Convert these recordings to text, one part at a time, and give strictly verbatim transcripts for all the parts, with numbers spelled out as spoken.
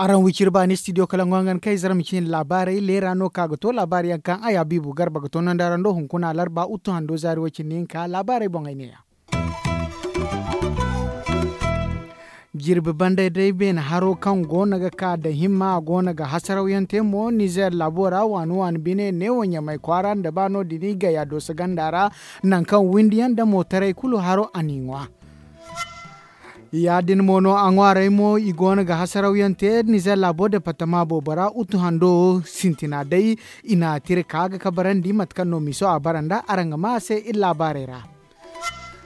Araŋ wiciri baani studio kala ŋwaŋan kay zara ma ciina laabaarey leera no ka ga to laabaari yaŋ kaŋ a ya biibu garba ga to nandara ndo hunkuna larba uttu hando zaari way cindi hinka laabaarey boŋ ay neeya. Jirbi banda day beene haro kaŋ go no ga ka da himma a go no ga hasaraw yaŋ te mo nizeer laabo ra waani waani bine neewo ɲamay kwaara nda ba no- din gaya dooso ganda ra, nangu kaŋ windi yaŋ nda mootaray kulu haro a n'i ŋwa. Ya- din mo no a ŋwaaray mo i go no ga hasaraw yaŋ te nizeer laabo departama boobo ra utu hando sintina day. I na tira ka ga kabarandi mate kaŋ no miso a bara nda araŋ ga ma a se iri laabaarey ra.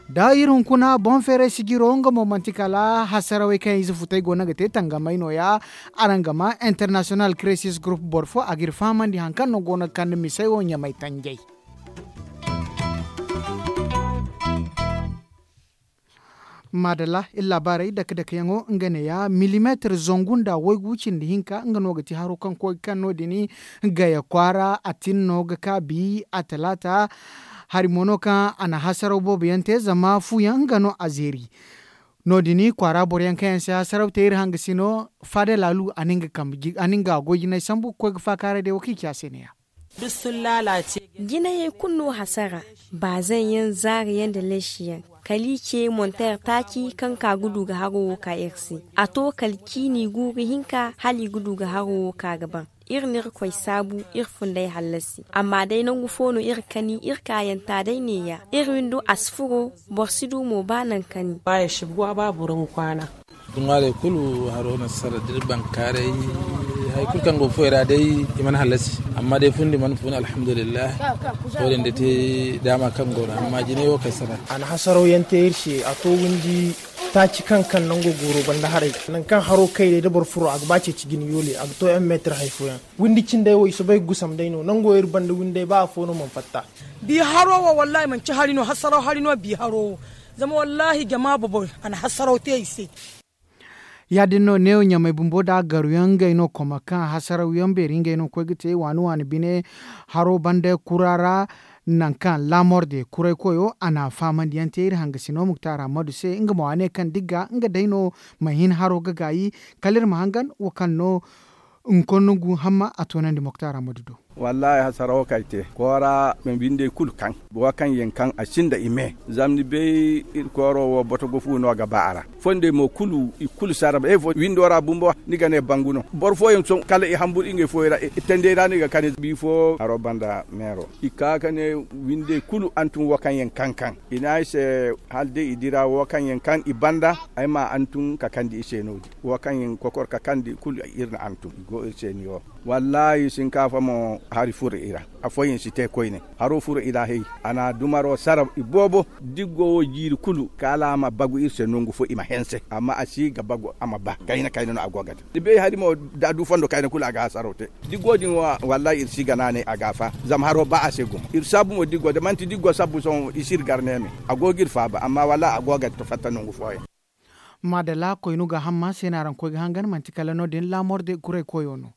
Da iri hunkuna boŋ feeray sijiro nga mo manti kala hasarawey kaŋ ize futay go no ga te tangamay no- ya. Araŋ ga ma international crisis group boro fo a ga iri fahamandi hari kaŋ no go no ga kande misey wo ɲamay tanjay. Maadalla iri laabaarey dake dake yaŋo nga neeya milimeetir zangu nda waygu cindi hinka nga no ga ti haro kaŋ koy ga kaŋ no- din gaya kwaara a tin no ga ka bi a talaata. Hari mo no kaŋ a na hasaraw boobo yaŋ te zama fu yaŋ nga no a zeeri. No- din kwaara boro yaŋ kaŋ yaŋ si hasaraw te iri hangasino faada laalu a na nga goy jinay sambu ga koy ga faakaaray day wo kaŋ i ci a se neeya. Jinayey kulu no hasara, baazaŋ yaŋ zaari yaŋ nda leesi yaŋ, kala i ce monteer taaci kaŋ ka ga du ga haro wo ka iri se. A to kala ciini guuru hinka hala i ga du ga haro wo ka ga ban. Iri na irkoy saabu iri funday hallasi amma day nangu fo no iri kani iri kaayanta day neeya. Iri windo a si furo, boro si du mo ba nangu kani. Duŋwaaley kulu haro na sara da iri bankaaray. Hari kulu kaŋ go foy ra day i mana hallasi amma day fundi mana fun alhamdulillahi. Wo- din da te daama kaŋ go no amma jinay wo kay sara. A na hasaraw yaŋ te iri se a to windi taaci kaŋ kaŋ nango gooro banda haray. Nangu kaŋ haro kay day da boro furo a ga ba ceeci jine yoole a ga to yaŋ meetir hari fooyaŋ. Windi cindey wo i soobay ga gusam day no nango iri banda windey ba afo no mana fatta. Bi haro wo wallaahi manci hari no hasaraw hari no bi haro wo. Zama wallaahi jama bobo a na hasaraw te i se. Ya- din no neewo ɲamay bumbo nda garu yaŋ ngey no koma kaŋ hasaraw yaŋ beeri ngey no ga koy ga te waani waani bine. Haro banda kura ra nangu kaŋ laamorde kuray koyo a na fahamandi yaŋ te iri hangasino muktaar hammadu se nga mo a ne kaŋ digga nga day no ma hin haro ga gaayi. Kala iri ma hangan wo kaŋ no hunkuna nongu hamma a toonandi muktaar hammadu do. Wallaahi hasarawo kaŋ ay te koora ma binde kulu kaŋ wo kaŋ yaŋ kaŋ a sinda i me. Zama ni bay iri kooro wo botogo fu no ga ba a ra. Fondey mo kulu i kulu sara windo ra bumbo ni ga ne bangu no boro fooyaŋ sohõ kala i hamburu ngey fooyaŋ ra i tandey ra no i ga kani bifo haro banda meero i ka ga ne windey kulu hantum wo kaŋ yaŋ kaŋ kaŋ i ne ay se hala day i dira wo kaŋ yaŋ kaŋ i banda ay ma hantum ka kandi i se no- din wo kaŋ yaŋ kokor ka kandi kulu iri na hantum i go iri se ni wo. Wallaahi sinkaafa mo hari furo i ra. Afooyaŋ si te koyne haro furo i ra hay. A na dumaro sara iboobo diggo wo jiiri kulu kaala a ma bagu iri se nangu fo i ma hanse amma a si ga bagu a ma ba kayna kayna no a go ga te. Ni bay hari mo da a du fondo kayna kulu a ga hasaraw te. Diggo din wo wallaahi iri si ga naanay a ga a fa. Zama haro ba a se gumo iri saabu mo diggo da manti diggo sabbu sohõ i si iri gar neeme. A go ga iri faaba amma wallaahi a go ga fatta nangu fooyaŋ. Maadalla koynu ga hamma se no araŋ koy ga hangan manti kala no- din laamorde kuray koyo no.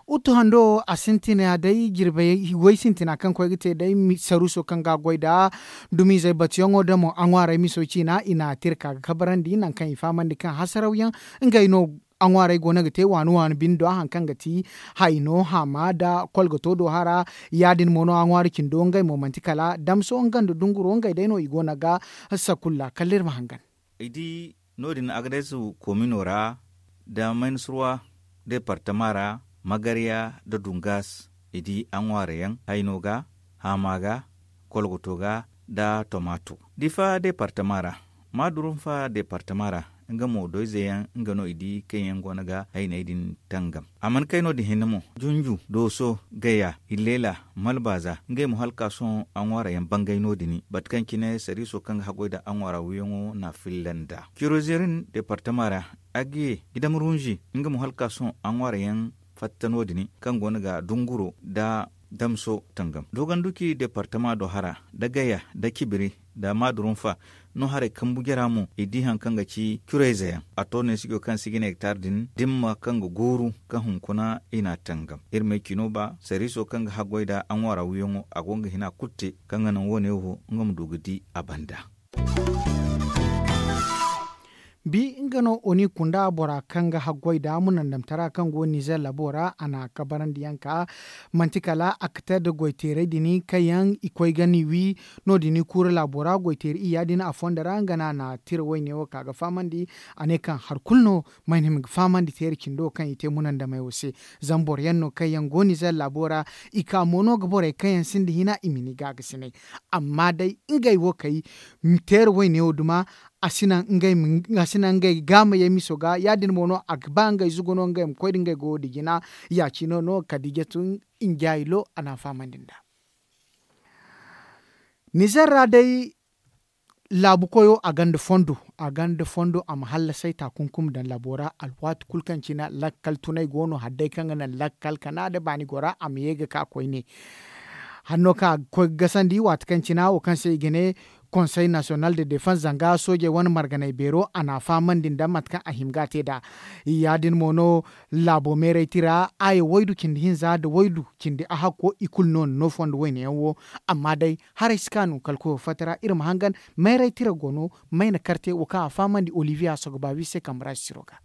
Utu hando a sintina day jirbey way sintina kaŋ koy ga te day saruuso kaŋ ga a goy nd'a dumiizey batuyaŋo da mo a ŋwaaray miso ciina i na a tira ka ga kabarandi nangu kaŋ i fahamandi kaŋ hasarawyaŋ. Ngey no a ŋwaaray go no ga te waani waani bine do hari kaŋ ga ti hayno haama nda kolgato do hara. Ya- din mo no a ŋwaari cindo ngey mo manti kala damso nga nda dunguro ngey day no i go no ga sakulla kala iri ma hangan. I di no- din agades komino ra nda maynasurwa deepartama ra magarya nda dungas i di a ŋwaarayaŋ hayno ga haama ga kolgoto ga nda tomaato. Difa deepartama ra maadurunfa deepartama ra nga mo doyze yaŋ nga no i di kaŋ yaŋ go no ga hayney din tangam. A mana kay no- din hinne mo junju dooso gaya illeela malbaaza ngey mo hala ka sohõ a ŋwaarayaŋ bangay no- din bate kaŋ cine sariiso kaŋ ga haggoy nda a ŋwaara wiyaŋo na a filla nd'a kirozerin deepartama ra. Agiye gidam runzi nga mo hala ka sohõ a ŋwaarayaŋ fatta no- din kaŋ go no ga dunguro nda damso tangam dogonduki deepartama do hara nda gaya nda cibiri nda maadurunfa. No haray kambu jara mo i di hari kaŋ ga ci curayze yaŋ a to ne sijo kaŋ si ga ne hektar din dimma kaŋ ga gooru kaŋ hunkuna i n'a tangam iri ma ay cino ba sarriiso kaŋ ga haggoy nd'a a ŋwaara wiyaŋo a go nga hina kulu te kaŋ ga naŋ wo- ne wo nga ma du ga di a banda. Bi nga no oni kunda bora kaŋ ga haggoy nd'a munandamtara kaŋ go nizer laabo ra a n'a kabarandi yaŋ ka manti kala akter nda goyteeray din kaŋ yaŋ i koy ga ni wi. No- din i kuura laabo ra goyteeri iyya din a fondo ra nga no a na tira wayne wo ka ga fahamandi. A ne kaŋ hari kulu no ma ay no ay ma ga fahamandi teeri cindo kaŋ i te munandamey wo se. Zama boro yaŋ no kaŋ yaŋ go nizer laabo ra i ka mo no ga borey kaŋ yaŋ sinda hina i ma ni gaagasinay. Amma day ngey wo kay teeri wayne wo duma a si naŋ ngey ga a si naŋ ngey ga ma ye miso ga ya- din mo no a ga ba ngey zugu no ngey ma koy nda ngey goyo nda jina. Ya- cine no kala da i jatu njaayi lo a n'a fahamandi nd'a. Nizer ra day laabu koyo a gonda fondo a gonda fondo a ma hallasay taakunkumi daŋ laabo ra alwaati kulu kaŋ cine lakkal tunay go no hari day kaŋ ga naŋ lakkal kana nda baani gora a ma ye ga ka koyne. Hanno kaŋ a ga koy ga gasandi waati kaŋ cine wo kaŋ se i ga ne konsey nasiyonal de defans zanga soojey wane marganay beero a n'a fahamandi nda mate kaŋ a hima ga a te nd'a. Ya- din mo no laabo meeray tira aya waydu cindi hinza nda waydu cindi ahakko i kulu no na no fondo wayne yaŋ wo. Amma day haray si kaanu kala koyo fatta ra iri ma hangan mayray tira go no mayna karte wo kaŋ a fahamandi olivier a sogo baabi se kambe ra sisiro ga.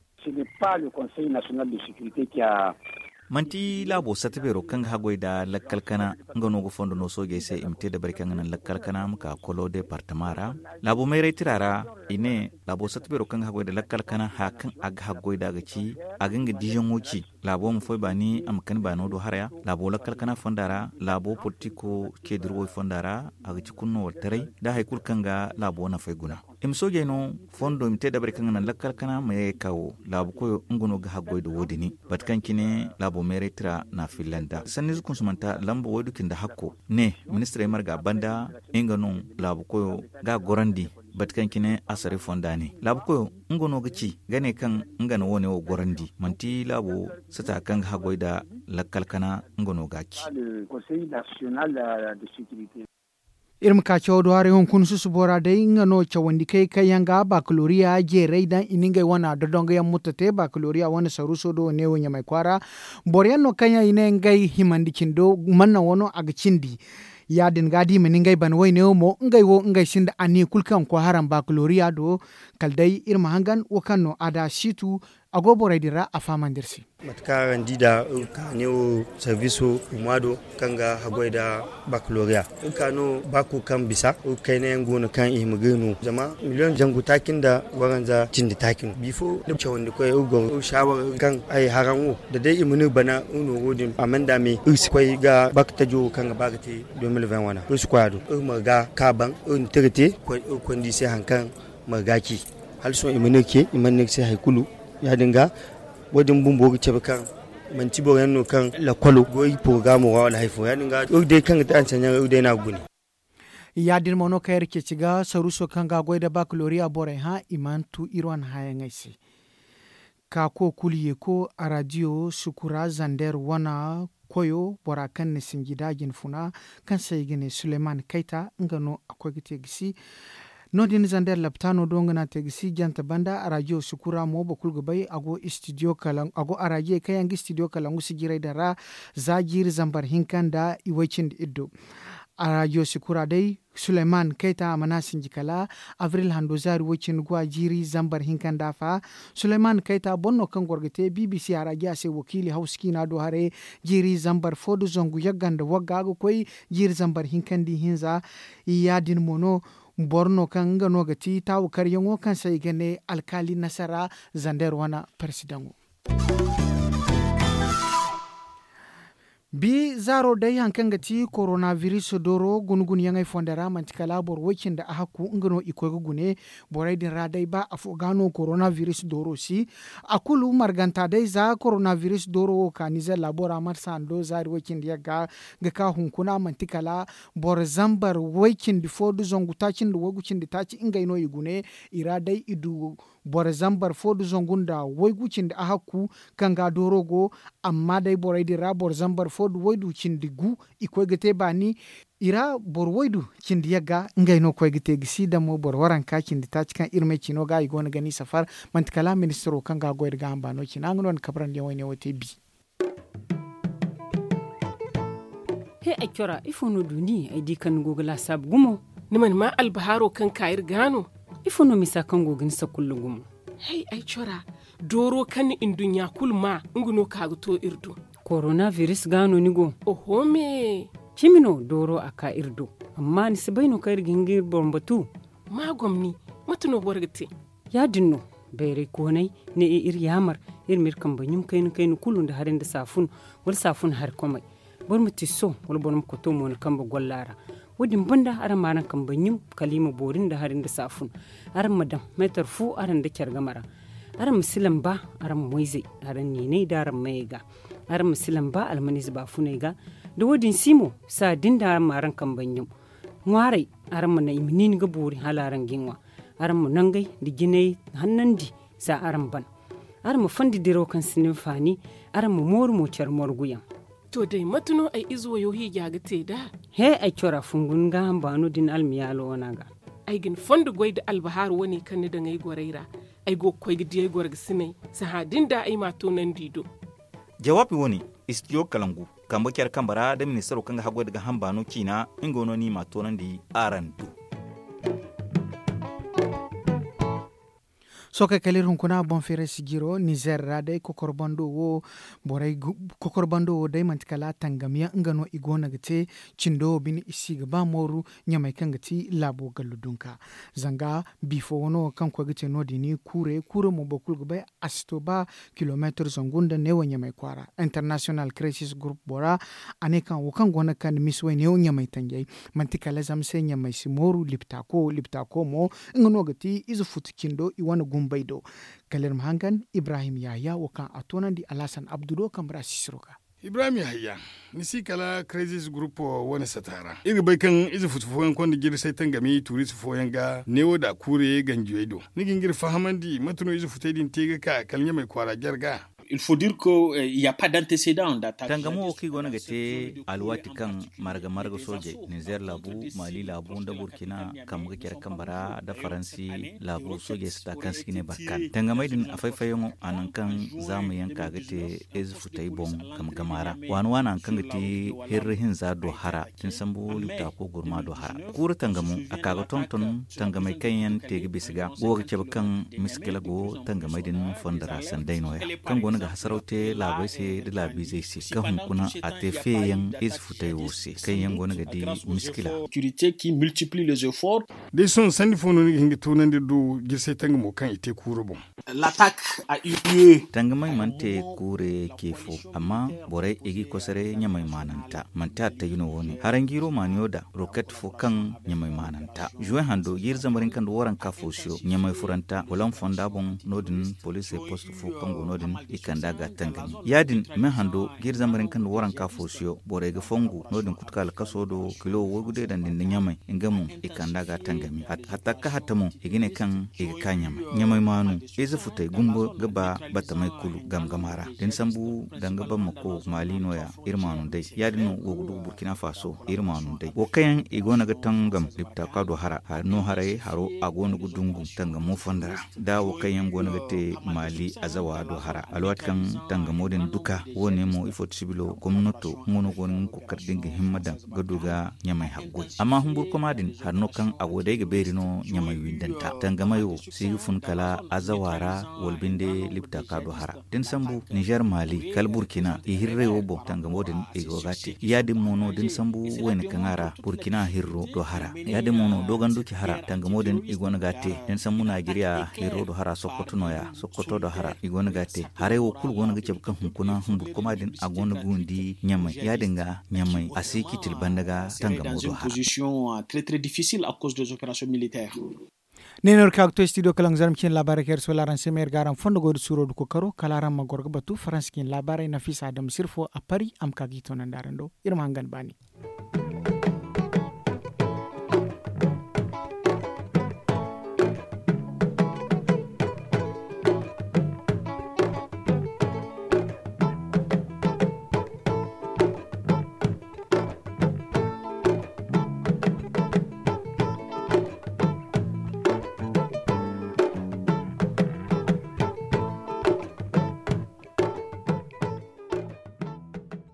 Manti laabo satta beero kaŋ ga haggoy nda lakkal kana nga no ga fondo no soojey se i ma te dabari kaŋ ga naŋ lakkal kana ma ka kolo deepartama ra. Laabo mayray tira ra i ne laabo satta beero kaŋ ga haggoy nda lakkal kana haya kaŋ a ga haggoy nd'a ga ci a ga nga diiyaŋo ci. Laabo ma foy baani a ma kani baano do haraya laabo lakkal kana fonda ra laabo politiko ce dirwey fonda ra a ga ci kulu no wala taray nda hari kulu kaŋ ga laabo nafay guna. I ma soojey no fondo i ma te dabari kaŋ ga naŋ lakkal kana ma ye ga ka wo laabu koyo nga no ga haggoy nda wo- din. Mate kaŋ cine laabo meeray tira n'a filla nd'a sanniize kunsumanta lamba waydu cindi hakko ne ministirey marga banda nga no laabu koyo ga a gorandi. Mate kaŋ cine asaray fonda ne laabu koyo nga no ga ci ga ne kaŋ nga na wo- ne wo gorandi manti laabo sata kaŋ ga haggoy nda lakkal kana nga no ga a ci. Iri ma ka caw do haray hunkuna susubo ra day nga no cawandi kay kaŋ yaŋ ga bakaloriya jeeray daŋ i na ngey wane dodongo yaŋ mutta te bakaloriya wane saruuso do neewo ɲamay kwaara. Boro yaŋ no kaŋ yaŋ i ne ngey himandi cindo manna wano a ga cindi. Ya- din ga da i ma ne ngey bana wayne wo mo ngey wo ngey sinda anniya kulu kaŋ ga koy haram bakaloriya do. Kala day iri ma hangan wo kaŋ no a da siitu a go borey din ra a fahamandi iri se. Mate kaŋ araŋ di nd'a iri ga ka neewo sarbiso huma do kaŋ ga haggoy nda bakaloriya iri ga ka no baako kaŋ bisa iri ga kayna yaŋ go no kaŋ i hima ga iri no zama miliyoŋ zangu taaci nda waranza cindi taaci no bifo da cawandi koy iri goro iri saawara kaŋ ay haraŋ wo da day i mana iri bana iri no wo- din a mana nda me iri si koy ga bakatajo kaŋ ga ba ga te. Deux mille vingt wana iri si koy a do iri marga ka baŋ iri na tira te iri koy nda i se hari kaŋ marga ci. Hala sohõ i mana iri ce i mana no iri se hari kulu. Ya- din ga wo- din bumbo ga cabe kaŋ manti boro yaŋ no kaŋ lakkolo go iri porogamo ra wala hari fo ya- din ga iri day kaŋ ga te anseɲaŋ iri day no a ga gune. Ya- din mo no kaŋ iri ceeci ga saruuso kaŋ ga a goy nda bakaloriya borey hã i mana tu iri wane hãyaŋey se. Ka ko kulu yeeko araadiyo sukura zander wane koyo bora kaŋ na sinji da jinfuna kaŋ se i ga ne suleyman kayta nga no a koy ga te gisi. No- din zander laptaano do nga no a te gisi jante banda araadiyo sukura mo boro kulu ga bay a go istidiyo kala a go araadiyey kaŋ yaŋ ga istidiyo kala ngu sijiray din ra. Za jiiri zambar hinka nda iway cindi iddo. Araadiyo sukura day suleyman kayta a mana sinji kala abril hando zaari woy cindi guwa jiiri zambar hinka nda afa. Suleyman kayta boro no kaŋ goro ga te bbc araadiya se wakiili hawsa ciina do haray. Jiiri zambar fo nda zangu yagga nda wagga ga koy jiiri zambar hinka nda ihinza. Ya- din mo no boro no kaŋ nga no ga ti taawu karyaŋo kaŋ se i ga ne alkaali nasara zander wane persidaŋo. Bi zaaro day hari kaŋ ga ti koronabiris dooro guna-gunayaŋey fonda ra manti kala boro way-cindi ahakku nga no i koy ga gune. Borey din ra day ba afo ga no koronabiris dooro si a kulu marganta day za koronabiris dooro wo ka nizer laabo ra marsa hando zaari way-cindi yagga ga ka hunkuna manti kala boro zambar way-cindi fo nda zangu taaci nda waygu cindi taaci ngey no i gune. I ra day i du boro zambar fo nda zangu nda waygu cindi ahakku kaŋ ga dooro go. Amma day borey din ra boro zambar fo nda waydu cindi gu. I koy ga te baani i ra boro waydu cindi yagga ngey no koy ga te gisi da mo boro waranka cindi taaci kaŋ iri may ciino ga i go no ga ni safar. Manti kala ministiro kaŋ ga a goy nda gaaham baano cina nga no ni kabrandi yaŋ wayne wo te bi. He ay cora ifo no du ni ay di kaŋ ni go ga laasaabu gumo? Ni mana maa albahaaro kaŋ ka iri ga no? Ifo no misa kaŋ go ga ni sakulla gumo? Hay ay cora dooro kaŋ ni nduɲɲa kulu maa nga no ka ga to iri do. Korona biris ga no ni go? Oho me. Cimi no dooro a ka iri do. Amma ni si bay no kaŋ iri ga hin ga iri boro batu? Ma gomni. Mate no boro ga te? Ya- din no. Bayray koonay ne iri yaamar iri ma iri kambe ɲum kayna kayna kulu nda hari nda saafun wala saafun hari komay. Boro ma tiso wala boro ma koto mo ni kambe golla ra. Wo- din banda araŋ ma araŋ kambe ɲum kala i ma boori nda hari nda saafun. Araŋ ma daŋ meetar fu araŋ nda care game ra. Araŋ ma si lamba araŋ moyzey, araŋ niinay nda araŋ mayey ga. Araŋ ma si lamba almaniize baafuney ga. Da wo- din si mo, saa din da araŋ ma araŋ kambe ɲum. Ŋwaaray, araŋ ma naŋ i ma niini ga boori hala araŋ ga i ŋwa. Araŋ ma nangey nda jinay hannandi, za araŋ ban. Araŋ ma fondi diraw kaŋ si ni hinfaani. Araŋ ma mooru mo care morguyaŋ. To day mate no ay ize wayo hiija ga te nd'a? He, ay cora fungu ni gaaham baano din almiyaalo wane ga. Ay ga ni fondo goy nda albahaaru wane kaŋ ni daŋ ay gorey ra. Ay go ga koy ga di ay gorgasiney. Sahã din da ay m'a toonandi i do. Jawaabi wane, istidiyo kalangu, kambe care kambe ra nda ministaro kaŋ ga haggoy nda gaaham baano ciina. Nga no no ni m'a toonandi araŋ do. Sookey kala iri hunkuna boŋ feeray si jiro nizer ra day kokorbando wo. Borey kokorbando wo day manti kala tangamiyaŋ nga no i go no ga te. Cindo wo bine i si ga ba mooru ɲamey kaŋ ga ti laabo gallu dunka. Zanga bifo wano kaŋ koy ga te no- din kuure kuure mo boro kulu ga bay. A si to ba kilomeetir zangu nda neewo ɲamey kwaara international crisis group bora. A ne kaŋ wo kaŋ go no ga kande misi way neewo ɲamey tanjay. Manti kala zama se ɲamey si mooru liptako liptako mo. Nga no ga ti ize futu cindo i wane gumbey do. Kala iri ma hangan ibrahim yahaya wo kaŋ a toonandi alhasan abdu do kambe ra sisiro ga. Ibrahim yahaya, ni si kala crisis group wane sata ra iri ga bay kaŋ ize futu fooyaŋ konda jirsay tangami tuuriize fooyaŋ ga neewo da kuure ganjiyey do. Ni ga hin ga iri fahamandi mate no ize futey din te ga ka kala ɲamey kwaara jare ga? Tangamo wo kaŋ i go no ga te alwaati kaŋ marga marga soojey nizer laabu, maali laabu nda burkina kambe ga care kambe ra nda faransi laabu soojey sata kaŋ se i ga ne barkan tangamey din a fay-fayyaŋo a nangu kaŋ zaama yaŋ ka ga te ize futey boŋ game game a ra. Waani waani hari kaŋ ga ti hirri hinza do hara da ni sambu liptaako gurma do hara. Kuuru tangamo a ka ga tonton tangamey kaŋ yaŋ te ga bisa ga go ga cabe kaŋ miskila go tangamey din fondo ra sanday nooya kaŋ go no ga hasaraw te laabey se nda laabiizey se kaŋ hunkuna a te feeyaŋ ize futey wo se kaŋ yaŋ go no ga di miskila. Da ay sohõ sanni fo no ni ga hin ga toonandi iri do jirsay tangamo kaŋ i te kuuru boŋ? Tangamey mana te kuure ce fo, amma borey i g'i kosoray ɲamey maananta manti a taji no wo- ne haranjiiro maaniyo da roket fo kaŋ ɲamey maananta juwe hando jiiri zambar hinka nda waranka foosiyo ɲamey furanta wala fonda boŋ. No- din poliisey post fo kaŋ go no- din i kand'a ga tangami ya- din me hando jiiri zambar hinka nda waranka foosiyo borey ga fongu no- din kutuka alkaso do kilo waygu deedandi nda ɲamey nga mo i kand'a ga tangami hatta ga ka hatta mo i ga ne kaŋ i ga ka ɲamey ɲamey maanu ize futey gumbo ga ba batamey kulu game game a ra da ni sambu danga bamako maali nooya iri maanu day ya- din no go ga du burkina faso iri maanu day wo kaŋ yaŋ i go no ga tangam liptaaka do hara no haray haro a go no ga dungu tangamo fondo ra da wo kaŋ yaŋ go no ga te maali azawa do hara alwaati kaŋ tangamo din duka wo- ne mo ifo ti sibilo gomnato nga no go no ga nga kokari da nga himma daŋ ga du ga ɲamey haggoy amma humburkoma din hari no kaŋ a go day ga beeri no ɲamey windanta tangamey wo si ga fun kala azawa ra wala binde liptaaka do hara da ni sambu nizer maali kala burkina i hirray wo boŋ tangamo din i go ga a te ya- din mo no da ni sambu wayna kaŋ a ra burkina hirro do hara ya- din mo no doganduci hara tangamo din i go no ga a te da ni sambu najeriya hirro do hara sokoto nooya sokoto do hara i go no ga a te haray wo kulu go no ga cabe kaŋ hunkuna humburkuma din a go no ga windi ɲamey ya- din ga ɲamey a si ciitil banda ga tangamo do hara. Ne no iri ka ga to studio kalaŋ zarma cine laabaarey kaŋ iri sohõ araŋ se ma iri ga araŋ fondo goy da suuro da kokaro kala araŋ ma goro ga batu faransa cine laabaarey nafisa adama sirfo a pari a ma ka ga i toonandi araŋ do iri ma hangan baani.